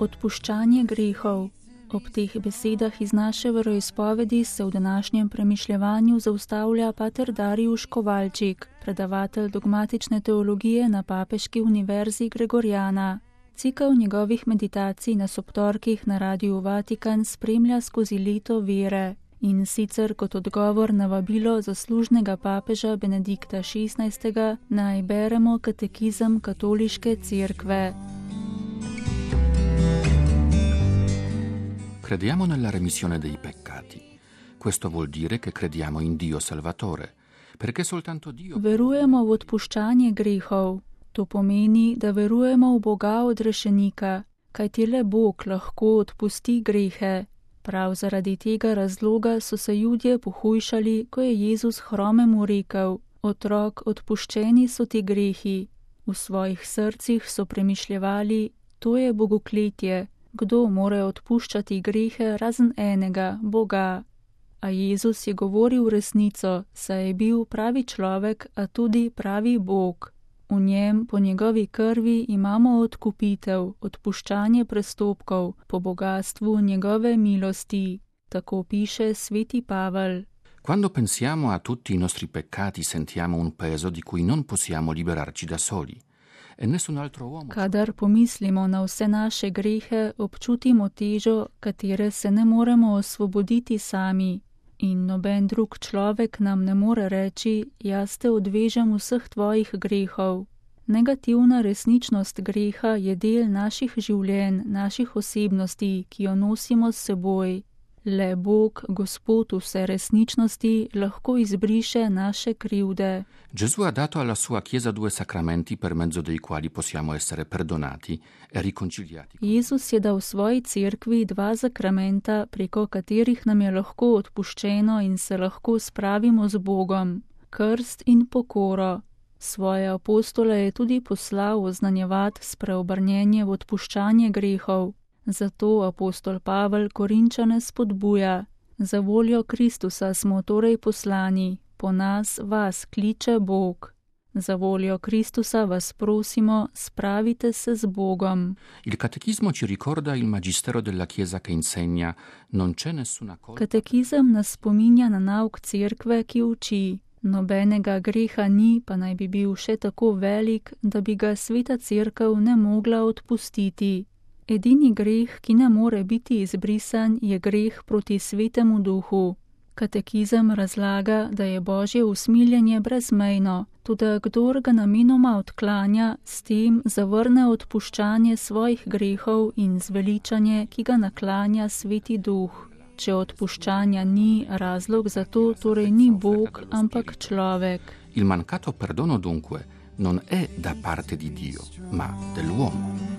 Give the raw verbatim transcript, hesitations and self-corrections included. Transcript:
Odpuščanje grehov. Ob teh besedah iz naše veroizpovedi se v današnjem premišljevanju zaustavlja pater Darijuš Kovalčik, predavatelj dogmatične teologije na Papeški univerzi Gregoriana. Cikel njegovih meditacij na sobtorkih na Radiu Vatikan spremlja skozi leto vere, in sicer kot odgovor na vabilo zaslužnega papeža Benedikta šestnajstega naj beremo katekizem Katoliške cerkve. Crediamo nella remissione dei peccati. Questo vuol dire che crediamo in Dio Salvatore, perché soltanto Dio... Verujemo v odpuščanje grehov. To pomeni, da verujemo v Boga odrešenika, kajti le Bog lahko odpusti grehe. Prav zaradi tega razloga so se Judje pohujšali, ko je Jezus hromemu rekel: Otrok, odpuščeni so ti grehi. V svojih srcih so premišljevali: to je bogokletje. Kdo more odpuščati grehe razen enega, Boga? A Jezus je govoril resnico, saj je bil pravi človek, a tudi pravi Bog. V njem, po njegovi krvi, imamo odkupitev, odpuščanje prestopkov, po bogatstvu njegove milosti. Tako piše sveti Pavel. Quando pensiamo a tutti i nostri peccati sentiamo un peso di cui non possiamo liberarci da soli. Kadar pomislimo na vse naše grehe, občutimo težo, katere se ne moremo osvoboditi sami. In noben drug človek nam ne more reči: jaz te odvežem vseh tvojih grehov. Negativna resničnost greha je del naših življenj, naših osebnosti, ki jo nosimo s seboj. Le Bog, Gospod vse resničnosti, lahko izbriše naše krivde. Gesù ha dato alla sua Chiesa due sacramenti per mezzo dei quali possiamo essere perdonati e riconciliati. Jezus je dal svoji cerkvi dva sakramenta, preko katerih nam je lahko odpuščeno in se lahko spravimo z Bogom: krst in pokoro. Svoje apostole je tudi poslal oznanjevati spreobrnjenje v odpuščanje grehov. Zato apostol Pavel Korinčane spodbuja: za voljo Kristusa smo torej poslani, po nas vas kliče Bog. Za voljo Kristusa vas prosimo, spravite se z Bogom. Il catechismo ci ricorda il magistero della Chiesa che insegna: non c'è nessuna colpa. Katekizem nas spominja na nauk cerkve, ki uči: nobenega greha ni, pa naj bi bil še tako velik, da bi ga sveta cerkev ne mogla odpustiti. Edini greh, ki ne more biti izbrisan, je greh proti svetemu duhu. Katekizem razlaga, da je Božje usmiljenje brezmejno, tudi kdor ga namenoma odklanja, s tem zavrne odpuščanje svojih grehov in zveličanje, ki ga naklanja sveti duh. Če odpuščanja ni, razlog za to torej ni Bog, ampak človek. Il mancato perdono dunque non è da parte di Dio, ma dell'uomo.